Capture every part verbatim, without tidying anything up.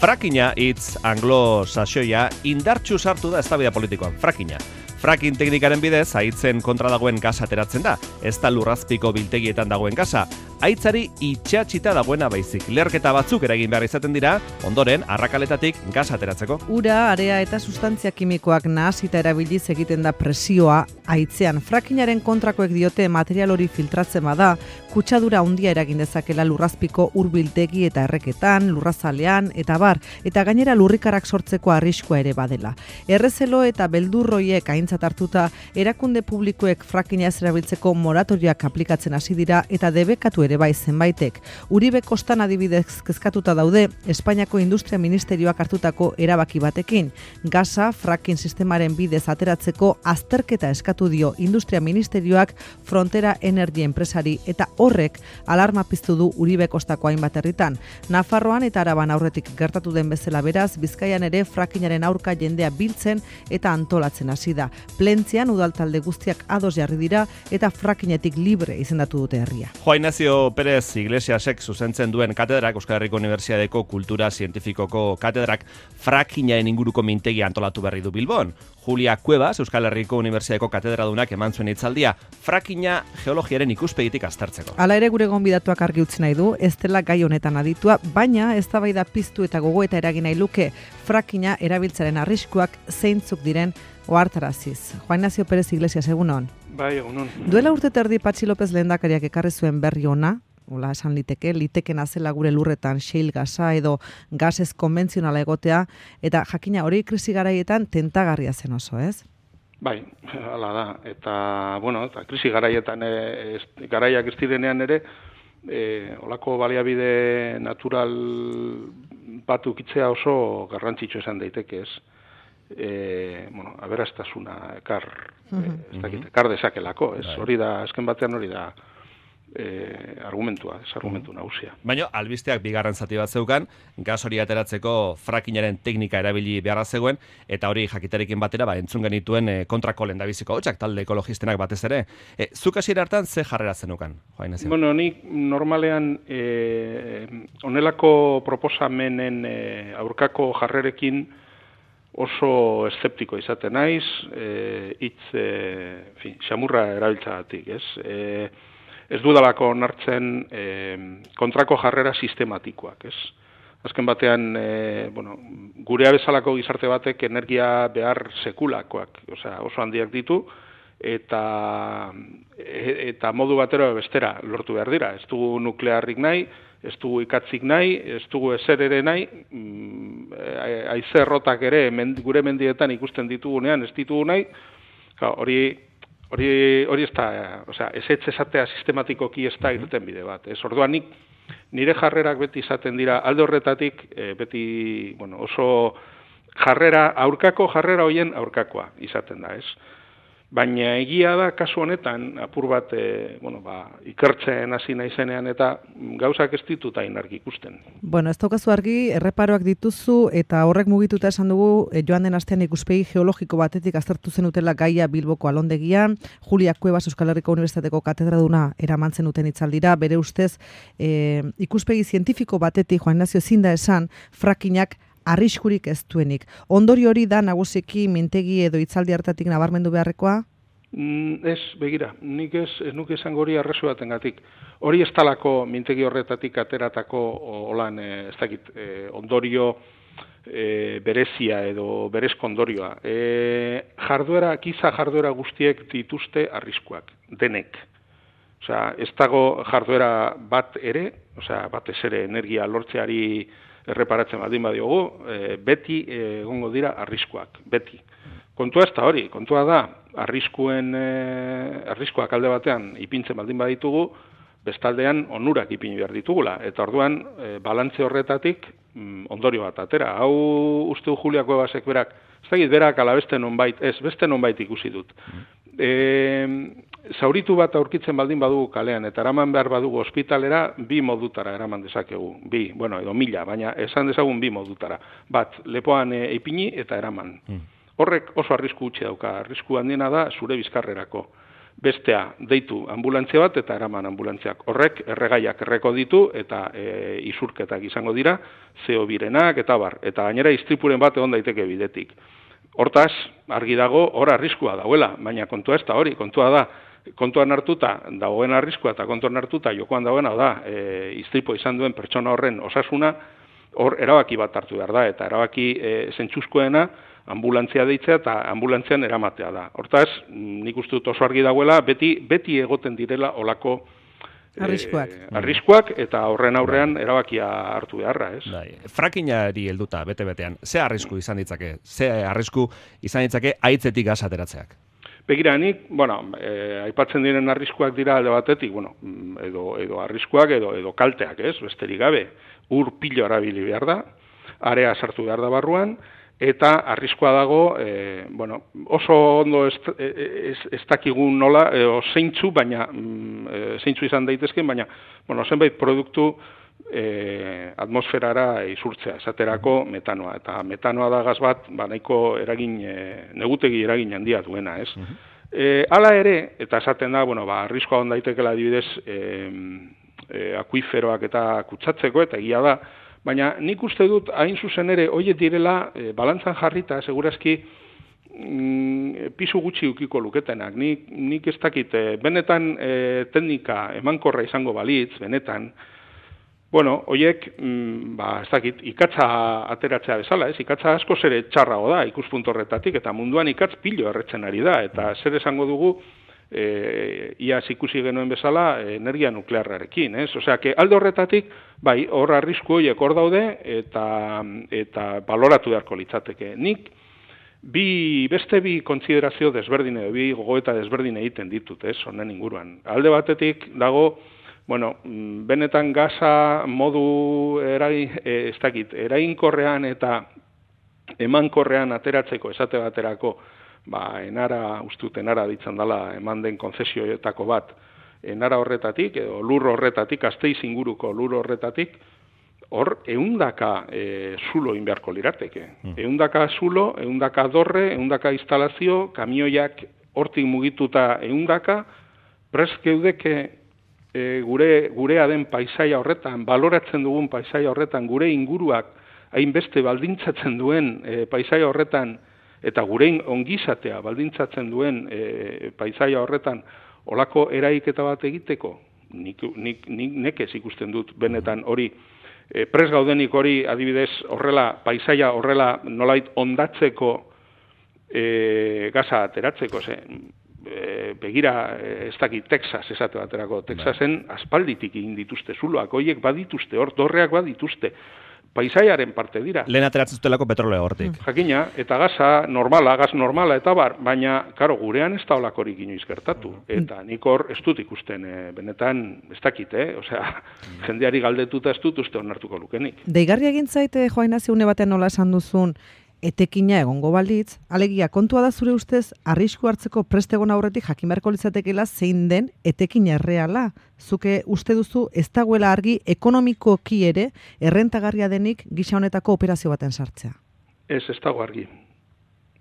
Frakinga hitz anglo-saxoia indartsu sartu da eztabaida politikoan. Frakinga. Fracking teknikaren bidez, haitzen kontra dagoen gasa ateratzen da. Ez da lurrazpiko biltegietan dagoen gasa. Haitzari itxatxita dagoena baizik. Leherketa batzuk eragin behar izaten dira, ondoren, arrakaletatik gasa ateratzeko. Ura, area eta sustantzia kimikoak nahasita erabiliz egiten da presioa haitzean. Frackingaren kontrakoek diote material hori filtratzen bada, kutsadura handia eragin dezakela lurrazpiko hurbiltegi eta erreketan, lurrazalean eta bar, eta gainera lurrikarak sortzeko arriskua ere badela. Errezelo eta beldurroiek aintzat hartuta, erakunde publikoek frackinga ez erabiltzeko moratoriak aplikatzen hasi dira eta debekatu ere bai zenbaitek. Uribe kostan adibidez kezkatuta daude Espainiako Industria Ministerioak hartutako erabaki batekin. Gasa fracking sistemaren bidez ateratzeko azterketa eskatu dio Industria Ministerioak Frontera Energy enpresari eta horrek alarma piztu du Uribe kostako hainbat herritan. Nafarroan eta Araban aurretik gertatu den bezala beraz, Bizkaian ere frackingaren aurka jendea biltzen eta antolatzen hasi da. Plentzian udaltalde guztiak ados jarri dira eta frackingetik libre izendatu dute herria. Juan Ignacio Pérez Iglesiasek zuzentzen duen katedrak, Euskal Herriko Unibertsitateko Kultura Zientifikoko katedrak, frackingaren inguruko mintegi antolatu berri du Bilbon. Julia Cuevas, Euskal Herriko Unibertsitateko katedradunak eman zuen hitzaldia, frackinga geologiaren ikuspegitik aztertzeko. Hala ere gure gonbidatuak argi utzi nahi du, ez dela gai honetan aditua, baina eztabaida piztu eta gogoeta eragin nahi luke frackinga erabiltzaren arriskuak zeintzuk diren ohartaraziz. Juan Ignacio Pérez Iglesias, egunon. Bai, egunon. Duela urte terdi Patxi López lehendakariak ekarri zuen berri ona, hola esan liteke, litekena zela gure lurretan shale gasa edo gasez konbentzionala egotea, eta jakina hori krisi garaietan tentagarria zen oso, ez? Bai, hala da. Eta, bueno, eta krisi garaietan, e, ez, garaiak ez direnean ere, e, olako baliabide natural bat ukitzea oso garrantzitsu esan daiteke, ez? E, bueno, aberastasuna ekar, e, ez dakit, ekar dezakelako, ez? Hori da, azken batean hori da e, argumentua, ez argumentu nagusia. Baina, albisteak bigarren zati bat zeukan, gas hori ateratzeko frackingaren teknika erabili beharra zegoen, eta hori jakitarekin batera, ba, entzun genituen e, kontrako lehendabiziko hotxak, talde ekologistenak batez ere. E, zuk hasiera hartan ze jarrera zenukan, Juan Ignacio? Bueno, nik normalean e, onelako proposamenen e, aurkako jarrerekin oso eszeptiko izaten naiz, e, hitz, e, fin, xamurra erabiltzagatik, ez? E, ez dudalako onartzen e, kontrako jarrera sistematikoak, ez? Azken batean, e, bueno, gurea bezalako gizarte batek energia behar sekulakoak, osea, oso handiak ditu, eta, e, eta modu batera bestera lortu behar dira. Ez dugu nuklearrik nahi, ez dugu ikatzik nahi, ez dugu ezer ere nahi, haize errotak ere mend, gure mendietan ikusten ditugunean ez ditugu nahi, hori hori hori ez da, osea, ez ez esatea sistematikoki ez da irten bide bat. Ez orduan nik nire jarrerak beti izaten dira alde horretatik, e, beti, bueno, oso jarrera aurkako jarrera hoien aurkakoa izaten da, ez? Baina egia da, kasu honetan, apur bat, e, bueno, ba, ikertzen hasi naizenean eta gauzak ez dituta inargi ikusten. Bueno, ez daukazu argi, erreparoak dituzu eta horrek mugituta esan dugu, e, joan den astean ikuspegi geologiko batetik aztertu zenutela gaia Bilboko alondegian, Julia Cuevas Euskal Herriko Unibertsitateko katedraduna eraman zenuten hitzaldira, bere ustez, e, ikuspegi zientifiko batetik, Juan Ignacio, ezin da esan, frackingak arriskurik ez duenik. Ondori hori da nagusiki mintegi edo hitzaldi hartatik nabarmendu beharrekoa? Mm, ez, begira, nik ez, ez nuke esango hori arrazo batengatik. Hori ez talako mintegi horretatik ateratako holan, ez dakit, eh, ondorio eh, berezia edo berezko ondorioa. Eh, jarduera, giza jarduera guztiek dituzte arriskuak, denek. Osea, ez dago jarduera bat ere, osea, batez ere energia lortzeari erreparatzen baldin badiogu, e, beti egongo dira arriskuak, beti. Kontua ez da hori, kontua da, arriskuen, e, arriskuak alde batean ipintzen baldin baditugu, bestaldean onurak ipini behar ditugula. Eta orduan, e, balantze horretatik mm, ondorio bat atera. Hau uste du Julia Cuevasek berak, ez dakit berak ala beste nonbait, ez, beste nonbait ikusi dut. E, zauritu bat aurkitzen baldin badugu kalean, eta eraman behar badugu ospitalera, bi modutara eraman dezakegu. Bi, bueno, edo mila, baina esan dezagun bi modutara. Bat, lepoan e, ipini eta eraman. Horrek oso arrisku utzi dauka. Arrisku handiena da zure bizkarrerako. bestea deitu ambulantzia bat eta eraman ambulantziak. Horrek erregaiak erreko ditu eta e, isurketak izango dira, C O birenak eta bar. Eta gainera istripuren bat egon daiteke bidetik. Hortaz, argi dago, hor arriskua dauela, baina kontua ez da hori, kontua da, kontuan hartuta dagoen arriskua eta kontuan hartuta jokoan dagoena da, e, istripo izan duen pertsona horren osasuna, hor erabaki bat hartu behar da, eta erabaki e, zentsuzkoena, ambulantzia deitzea eta ambulantzian eramatea da. Hortaz, nik uste dut oso argi dagoela, beti, beti egoten direla olako arriskuak. E, arriskuak eta horren aurrean erabakia hartu beharra, ez? Bai. Frackingari helduta bete-betean, ze arrisku izan ditzake? Ze arrisku izan ditzake haitzetik gas ateratzeak? Begira, nik, bueno, e, aipatzen diren arriskuak dira alde batetik, bueno, edo, edo arriskuak edo, edo kalteak, ez? Besterik gabe, ur pilo erabili behar da, area sartu behar da barruan, eta arriskoa dago, e, bueno, oso ondo ez, ez, ez dakigun nola, e, zeintzu, baina, e, zeintzu izan daitezken, baina, bueno, zenbait produktu e, atmosferara isurtzea, esaterako metanoa, eta metanoa da gaz bat, ba, nahiko eragin, e, negutegi eragin handia duena, ez? Uh-huh. e, hala ere, eta esaten da, bueno, ba, arriskoa on daitekela adibidez, e, e, akuiferoak eta kutsatzeko, eta egia da, baina nik uste dut hain zuzen ere hoiek direla e, balantzan jarrita segurazki mm, pisu gutxi ukiko luketenak. Nik, nik ez dakit, e, benetan e, teknika emankorra izango balitz, benetan, bueno, hoiek, mm, ba, ez dakit, ikatza ateratzea bezala, ez? Ikatza asko ere txarrago da ikuspuntu horretatik, eta munduan ikatz pilo erretzen ari da, eta zer esango dugu, E, iaz ikusi genuen bezala energia nuklearrarekin, ez? Osea, que alde horretatik, bai, hor arrisku horiek hor daude eta, eta baloratu beharko litzateke. Nik bi, beste bi kontsiderazio desberdine, bi gogoeta desberdine egiten ditut, ez? Honen inguruan. Alde batetik dago, bueno, benetan gaza modu eragi, ez dakit, eraginkorrean eta emankorrean ateratzeko, esate baterako, ba, enara, ustut, enara ditzen dela eman den konzesioetako bat, enara horretatik, edo lur horretatik, Gasteiz inguruko lur horretatik, hor, eundaka e, zulo inbeharko lirateke. Mm. Eundaka zulo, eundaka dorre, eundaka instalazio, kamioiak hortik mugituta eundaka, prest geudeke e, gure, gurea den paisaia horretan, baloratzen dugun paisaia horretan, gure inguruak hainbeste baldintzatzen duen e, paisaia horretan, eta gure ongizatea baldintzatzen duen e, paisaia horretan olako eraiketa bat egiteko, nik, nik, nik nekez ikusten dut benetan hori, e, pres gaudenik hori adibidez horrela, paisaia horrela nolait ondatzeko e, gaza ateratzeko, ze, e, begira ez dakit Texas esate baterako, Texasen aspalditik egin dituzte zuloak, horiek badituzte, hor dorreak badituzte, paisaiaren parte dira. Lehen ateratzen zutelako petroleo hortik. Jakina, eta gaza normala, gaz normala, eta bar, baina, karo, gurean ez da olakorik inoiz gertatu. Eta nik hor ez dut ikusten, e, benetan, ez dakit, eh? Osea, jendeari galdetuta ez dut uste onartuko lukenik. Deigarria egin zaite, Joaina, une batean nola esan duzun, etekina egongo balitz, alegia kontua da zure ustez, arrisku hartzeko prestegon aurretik jakin beharko litzatekeela zein den etekina erreala. Zuke uste duzu ez dagoela argi ekonomikoki ere errentagarria denik gisa honetako operazio baten sartzea? Ez, ez dago argi.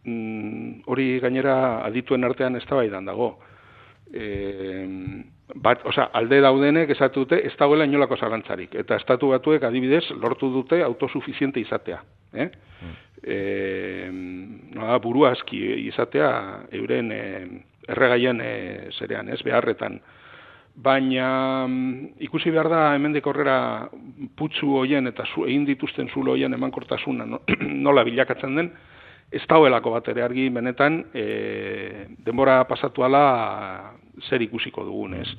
Mm, hori gainera adituen artean eztabaidan dago. E, bat, osea, alde daudenek esatu dute ez dagoela inolako zalantzarik. Eta estatu batuek adibidez lortu dute autosuficiente izatea. Eh? Mm. E, no, burua aski izatea euren e, erregaien e, zerean, ez, beharretan. Baina ikusi behar da hemendik aurrera putzu hoien eta zu, egin dituzten zulo hoien emankortasuna no, nola bilakatzen den, ez dauelako bat ere argi benetan e, denbora pasatu ala zer ikusiko dugunez.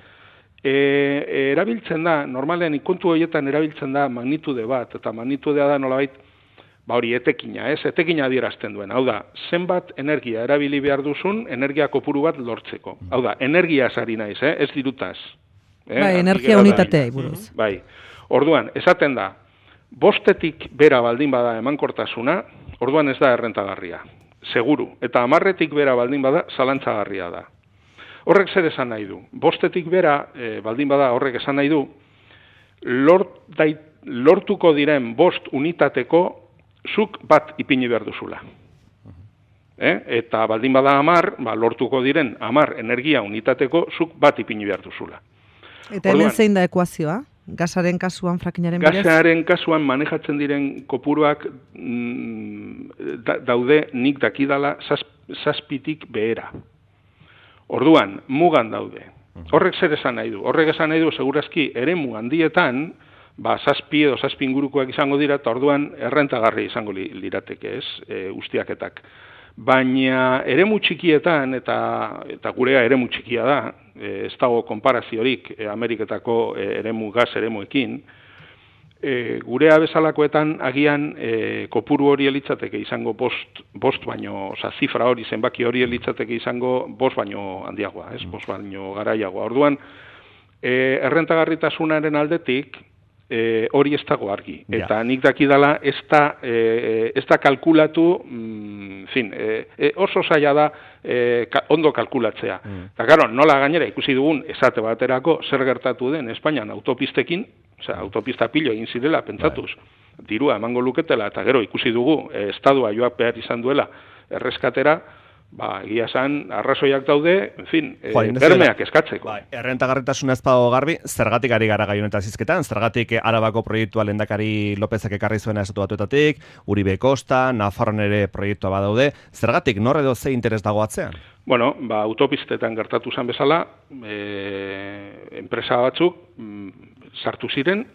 E, erabiltzen da, normalean kontu horietan erabiltzen da magnitude bat, eta magnitudea da nolabait, ba hori etekina, ez? Etekina adierazten duen. Hau da, zenbat energia erabili behar duzun, energia kopuru bat lortzeko. Hau da, energia sari naiz, eh? Ez dirutaz. Eh? Bai, energia unitatea buruz. Bai. Orduan, esaten da, bostetik bera baldin bada emankortasuna, orduan ez da errentagarria. Seguru. Eta hamarretik bera baldin bada, zalantzagarria da. Horrek zer esan nahi du? Bostetik bera, e, baldin bada horrek esan nahi du, lort, dait, lortuko diren bost unitateko zuk bat ipini behar duzula. Eh? Eta baldin bada amar, ba, lortuko diren amar energia unitateko zuk bat ipini behar duzula. Eta hemen zein da ekuazioa? Gasaren kasuan, frakinaren bidez? Gasaren kasuan manejatzen diren kopuruak mm, da, daude nik dakidala zazp, zazpitik behera. Orduan, mugan daude. Horrek zer esan nahi du? Horrek esan nahi du, segurazki, eremu handietan, ba, zazpi edo zazpi ingurukoak izango dira, eta orduan errentagarri izango li, lirateke, ez, e, ustiaketak. Baina eremu txikietan, eta, eta gurea eremu txikia da, e, ez dago konparaziorik e, Ameriketako e, eremu gaz eremuekin, e, gurea bezalakoetan agian e, kopuru hori elitzateke izango bost, bost baino, oza, zifra hori, zenbaki hori elitzateke izango bost baino handiagoa, ez, bost baino garaiagoa. Orduan, e, errentagarritasunaren aldetik, E, hori ez dago argi. Eta ja. Nik dakidala ez da, e, ez da kalkulatu, mm, fin, e, e, oso zaila da e, ka, ondo kalkulatzea. Mm. Eta, claro, nola gainera ikusi dugun esate baterako zer gertatu den Espainian autopistekin, osea, autopista pilo egin zirela, pentsatuz, bai. Dirua emango luketela, eta gero ikusi dugu, e, estadua joak behar izan duela erreskatera, ba, egia esan, arrazoiak daude, en fin, Joa, e, bermeak eskatzeko. Bai, errentagarritasuna ez dago garbi, zergatik ari gara gai honetaz hizketan, zergatik Arabako proiektua lehendakari Lopezek ekarri zuena Estatu Batuetatik, Uribe Kosta, Nafarroan ere proiektua badaude, zergatik nor edo ze interes dago atzean? Bueno, ba, autopistetan gertatu zen bezala, e, enpresa batzuk mm, sartu ziren,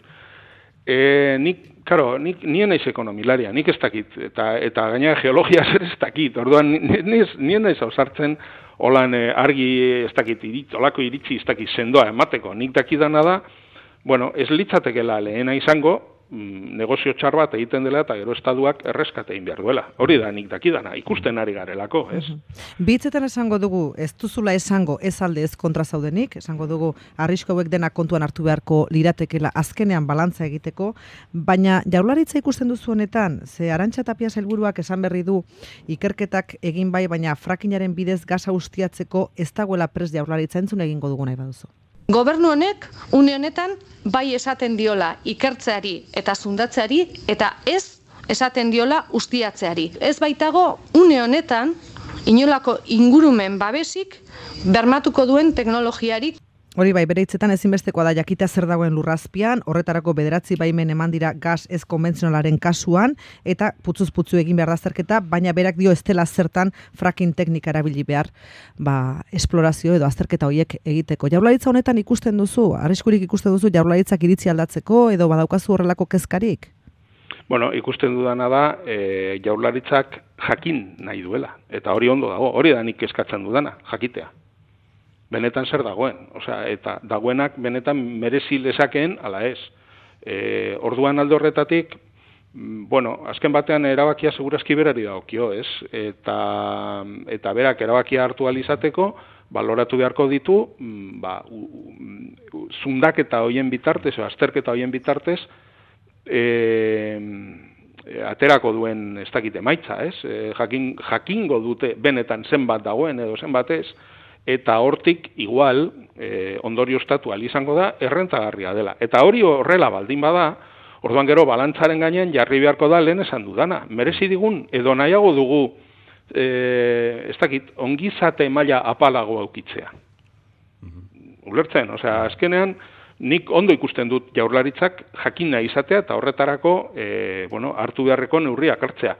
E, nik, karo, nik nien naiz ekonomilaria, nik ez dakit, eta, eta gaina geologia zer ez dakit, orduan nien naiz ausartzen holan e, argi ez dakit, irit, olako iritzi ez dakit sendoa emateko, nik dakidana da, bueno, ez litzatekela lehena izango, mm, negozio txar bat egiten dela eta gero estaduak erreskate egin behar duela. Hori da nik dakidana, ikusten ari garelako, ez? Bitzetan esango dugu, ez duzula esango ez alde ez kontra zaudenik, esango dugu arrisko hauek denak kontuan hartu beharko liratekela azkenean balantza egiteko, baina Jaurlaritza ikusten duzu honetan, ze Arantxa Tapia sailburuak esan berri du ikerketak egin bai, baina frakinaren bidez gasa ustiatzeko ez dagoela prest Jaurlaritza, entzun egingo dugu nahi baduzu. Gobernu honek une honetan bai esaten diola ikertzeari eta zundatzeari eta ez esaten diola ustiatzeari. Ez baitago une honetan inolako ingurumen babesik bermatuko duen teknologiarik. Hori bai, bere hitzetan ezinbestekoa da jakita zer dagoen lurrazpian, horretarako bederatzi baimen eman dira gas ez konbentzionalaren kasuan, eta putzuz putzu egin behar da azterketa, baina berak dio ez dela zertan fracking teknika erabili behar, ba, esplorazio edo azterketa horiek egiteko. Jaurlaritza honetan ikusten duzu, arriskurik ikusten duzu Jaurlaritzak iritzi aldatzeko edo badaukazu horrelako kezkarik? Bueno, ikusten dudana da, e, Jaurlaritzak jakin nahi duela, eta hori ondo dago, hori da nik eskatzen dudana, jakitea. Benetan zer dagoen, osea, eta dagoenak benetan merezi lezakeen ala ez. E, orduan alde horretatik, bueno, azken batean erabakia segurazki berari dagokio, ez? Eta, eta berak erabakia hartu ahal izateko, baloratu beharko ditu, ba, zundaketa hoien bitartez, o azterketa hoien bitartez, e, aterako duen ez dakit emaitza, ez? E, jakin, jakingo dute benetan zenbat dagoen edo zenbat ez, eta hortik igual e, ondorioztatu ahal izango da errentagarria dela. Eta hori horrela baldin bada, orduan gero balantzaren gainean jarri beharko da lehen esan dudana. Merezi digun edo nahiago dugu e, ez dakit, ongizate maila apalago aukitzea. Ulertzen, osea, azkenean nik ondo ikusten dut Jaurlaritzak jakin nahi izatea eta horretarako e, bueno, hartu beharreko neurriak hartzea.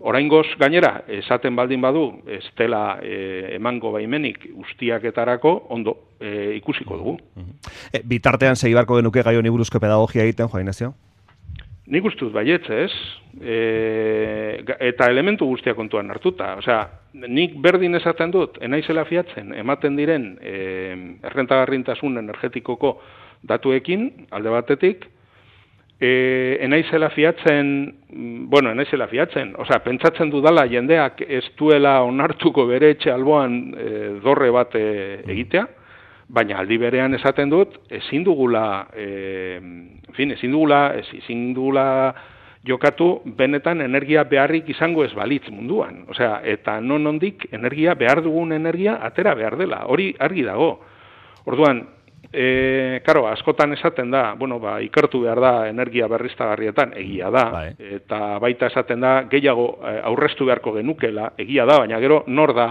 Oraingoz gainera, esaten baldin badu, ez dela e, emango baimenik ustiaketarako ondo e, ikusiko dugu. E, bitartean segi barko genuke gai honi buruzko pedagogia egiten, Joa Inazio? Nik ustut baietz, ez? E, eta elementu guztiak kontuan hartuta. Osea, nik berdin esaten dut, enaizela fiatzen, ematen diren e, errentagarrintasun energetikoko datuekin, alde batetik, E, enaizela fiatzen, bueno, enaizela fiatzen, osea, pentsatzen dudala jendeak ez duela onartuko bere etxe alboan e, dorre bat e, egitea, baina aldi berean esaten dut, ezin dugula, e, en fin, ezin dugula, ezin dugula jokatu benetan energia beharrik izango ez balitz munduan, osea, eta non ondik energia behar dugun energia atera behar dela, hori argi dago. Orduan, E, karo, askotan esaten da, bueno, ba, ikertu behar da energia berriztagarrietan, egia da, bai. Eta baita esaten da, gehiago aurreztu beharko genukela, egia da, baina gero nor da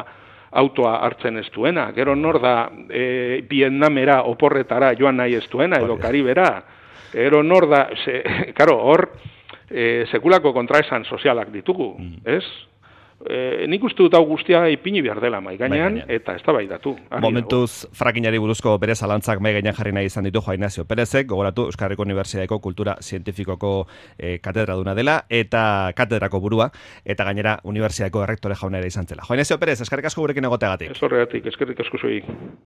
autoa hartzen ez duena, gero nor da e, Vietnamera oporretara joan nahi ez duena, edo Karibera, gero nor da, ze, karo, hor, e, sekulako kontraesan sozialak ditugu, mm. ez? E, nik uste dut hau guztia ipini behar dela mai gainean, eta ez da bai datu. Momentuz, frakinari buruzko bere zalantzak mai gainean jarri nahi izan ditu Juan Ignacio Perezek, gogoratu Euskal Herriko Unibertsitateko Kultura Zientifikoko e, katedraduna dela, eta katedrako burua, eta gainera Unibertsitateko errektore jauna ere izan zela. Juan Ignacio Perez, eskerrik asko gurekin egoteagatik. Ez horregatik, eskerrik asko zuei.